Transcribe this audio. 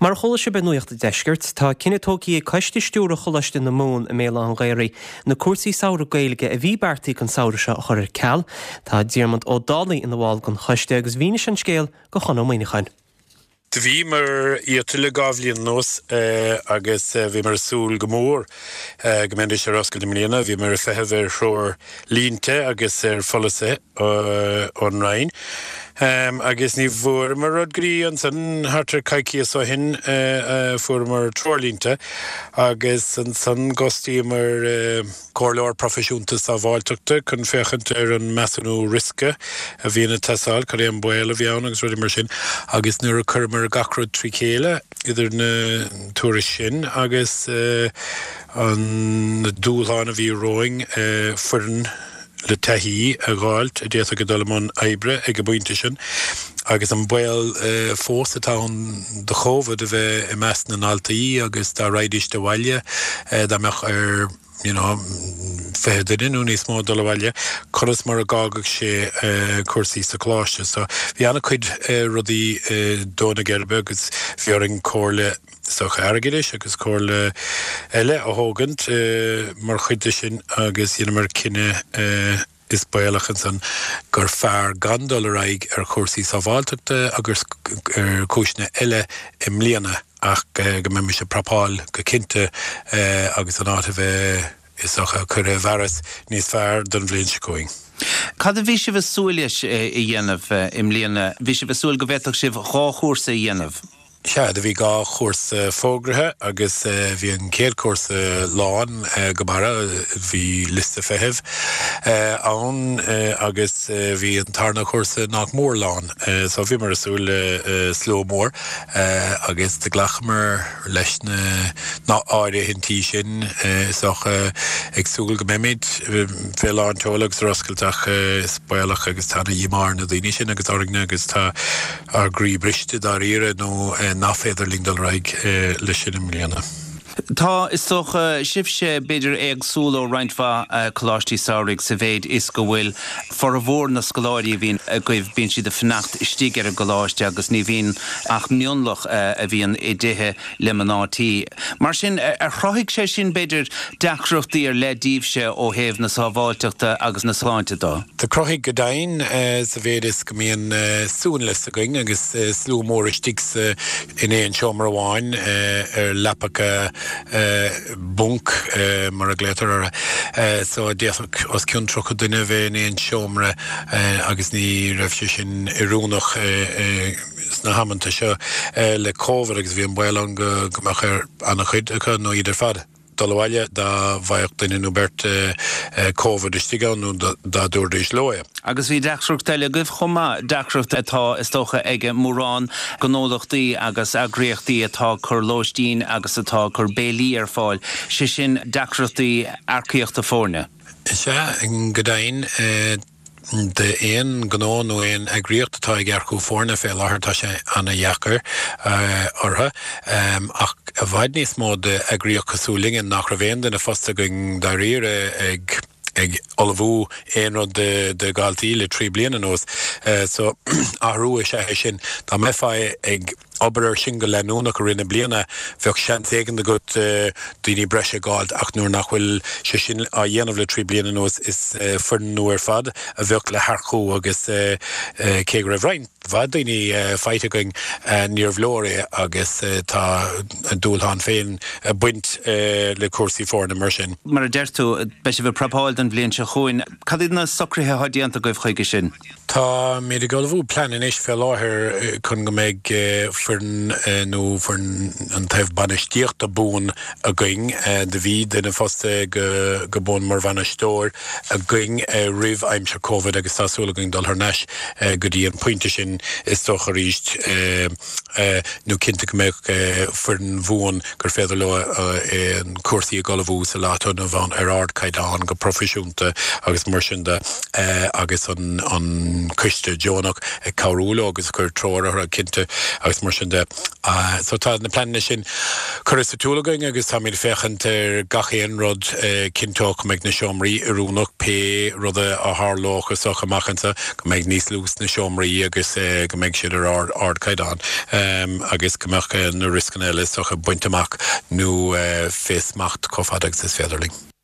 Mar a chuala sibh ar Nuacht an Deiscirt, tá cinneadh tógtha ag Coiste Stiúrtha Choláiste na Mumhan i mBéal Átha an Ghaorthaidh na cúrsaí samhraidh Gaeilge a bhí beartaithe don samhradh seo a chur ar ceal. Tá Diarmuid Ó Dálaigh ina bhall den choiste agus mhínigh sé an scéal do Chon Ó Muíneacháin. Do bhíomar iata le 2 bhliain anuas agus bhíomar ag súil go mór go mbeidís ar oscailt i mbliana. Bhíomar ag feitheamh ar threoirlínte agus ar pholasaithe ón Roinn agus ní bhfuaireamar rud go dtí ansan thart ar coicíos ó shin a fuaireamar treoirlínte agus ansan d'fhostaíomar comhairleoir proifisiúnta sábháilteachta chun féachaint ar an measúnú riosca a bhíonn ag teastáil, cad é an baol a bhí ann agus rudaí mar sin. Agus nuair a chuireamar gach rud trí chéile, idir na tuairisc sin agus na dúshláin a bhí romhainn, foireann le taithí a dh'fháilt a d'fhéadfadh a dul i mbun oibre ag an bpointe sin, agus an baol fós atá ann do Covid a bheith i measc na ndaltaí agus dá raghaidíst abhaile, dá mbeadh ar. you know, 20 duine nó níos mó ag dul abhaile, conas mar a dh'fhágfadh sé cúrsaí sa choláiste. So bhí an-chuid rudaí ag dó na geirbe agus bhí orainn comhairle is dócha airgeadais agus comhairle eile a thógaint mar chuid de sin agus dheineamar cinneadh is baolach ansan gur fearr gan dul ar aghaidh ar chúrsaí sábháilteachta agus ar chúiseanna eile i mbliana ach go mbeimis ag prapáil go cinnte agus an áit a bheith, is dócha, curtha i bhfearas níos fearr don bhliain seo chugainn. Cad a bhí sibh ag súil leis a dhéanamh i mbliana? Bhí sibh ag súil go bhféadfadh sibh 2 chúrsa a dhéanamh? Sea, do bhí 2 chúrsa fógraithe agus bhí an chéad chúrsa lán go barra, bhí liosta feithimh ann agus bhí an tarna chúrsa nach mór lán. So bhíomar ag súil le slua mór agus do ghlacamar leis na áirithintí sin, is dócha, ag súil go mbeimid fé lán tseoil agus ar oscailt ach is baolach agus tá ana-dhíomá ar na daoine sin agus orainne agus tá ár gcroí briste dáiríre nó nach féidir linn dul ar aghaidh leis sin i mbliana. Tá, is dócha, sibhse b'fhéidir éagsúil ó roinnt mhaith coláistí samhraidh sa mhéid is go bhfuil formhór na scoláirí a bhíonn agaibh, bíonn siad ag fanacht istigh ar an gcoláiste agus ní bhíonn ach mionlach a bhíonn i dtithe le mná tí. Mar sin, ar chruthaigh sé sin, b'fhéidir, deacrachtaí ar leith daoibhse ó thaobh na sábháilteachta agus na sláinte de? Do chruthaigh go deimhin, sa mhéid is go mbíonn suanlios againn agus slua mór istigh sa in aon seomra amháin ar leapacha bunk mar a ghlaotar orthu. So d'fhéadfadh os cionn 30 duine a bheith in aon seomra agus ní raibh sé sin oiriúnach. sna hamanta seo le Covid agus bhí an baol ann go mbeadh ar an-chuid acu, nó iad ar fad, dul abhaile dá bhfaigheadh duine nó beirt Covid istigh ann nó dá dtabharfaidís leo é. Agus bhí deacracht eile agaibh chomh maith, deacracht atá, is dócha, ag mórán gnólachtaí agus eagraíochtaí atá ag cur lóistín agus atá ag cur béilí ar fáil, sé sin deacrachtaí earcaíochta foirne. Is ea, go deimhin. D'aon ghnó nó aon eagraíocht atá ag earcú foirne fé láthair tá sé ana-dheacair orthu. Ach i bhfad níos mó d'eagraíocht cosúil linne nach raibh aon duine fostaithe againn dáiríre ag ag ullmhú aon rud do dhaltaí le 3 bliana anuas. So athrú is ea é sin. Dá mbeifeá ag. obair air sin go leanúnach i rith na bliana, bheadh seans éigin agat daoine breise a dh'fháilt ach nuair nach bhfuil sé sin á dhéanamh le 3 bliana anuas is foireann nua ar fad a bheadh le hearcú agus cé go raibh roinnt mhaith daoine faighte againn níorbh leor é agus tá a dúshlán féin ag baint le cúrsaí foirne mar sin. Mar a deir tú, beidh sibh ag prapáil don bhliain seo chugainn. Cad iad na socruithe atá déanta agaibh chuige sin? Táimid ag ullmhú plean anois fé láthair chun go mbeidh foireann nó foireann an taobh bainistíochta buan againn. Do bhí duine fostaithe go buan mar bhainisteoir againn roimh aimsir Covid agus tá súil againn dul thar n-ais go dtí an pointe sin is dócha arís nó cinnte go mbeadh foireann bhuan gur féidir leo cúrsaí a ullmhú sa lá atá inniu ann ar ardchaighdeán go proifisiúnta agus mar sin de agus an coiste deonach ag cabhrú leo agus ag cur treoir orthu cinnte agus mar sin de. So tá na pleananna sin. Curtha sa tsiúl againn agus táimid ag féachaint ar gach aon rud a chinnteodh go mbeidh na seomraí oiriúnach pé rud a tharlódh is dócha amach anseo, go mbeidh níos lú sna seomraí agus go mbeidh siad ar ardchaighdeán agus go mbeadh na rioscanna eile is dócha bainte amach nó fé smacht chomh fada agus is féidir linn.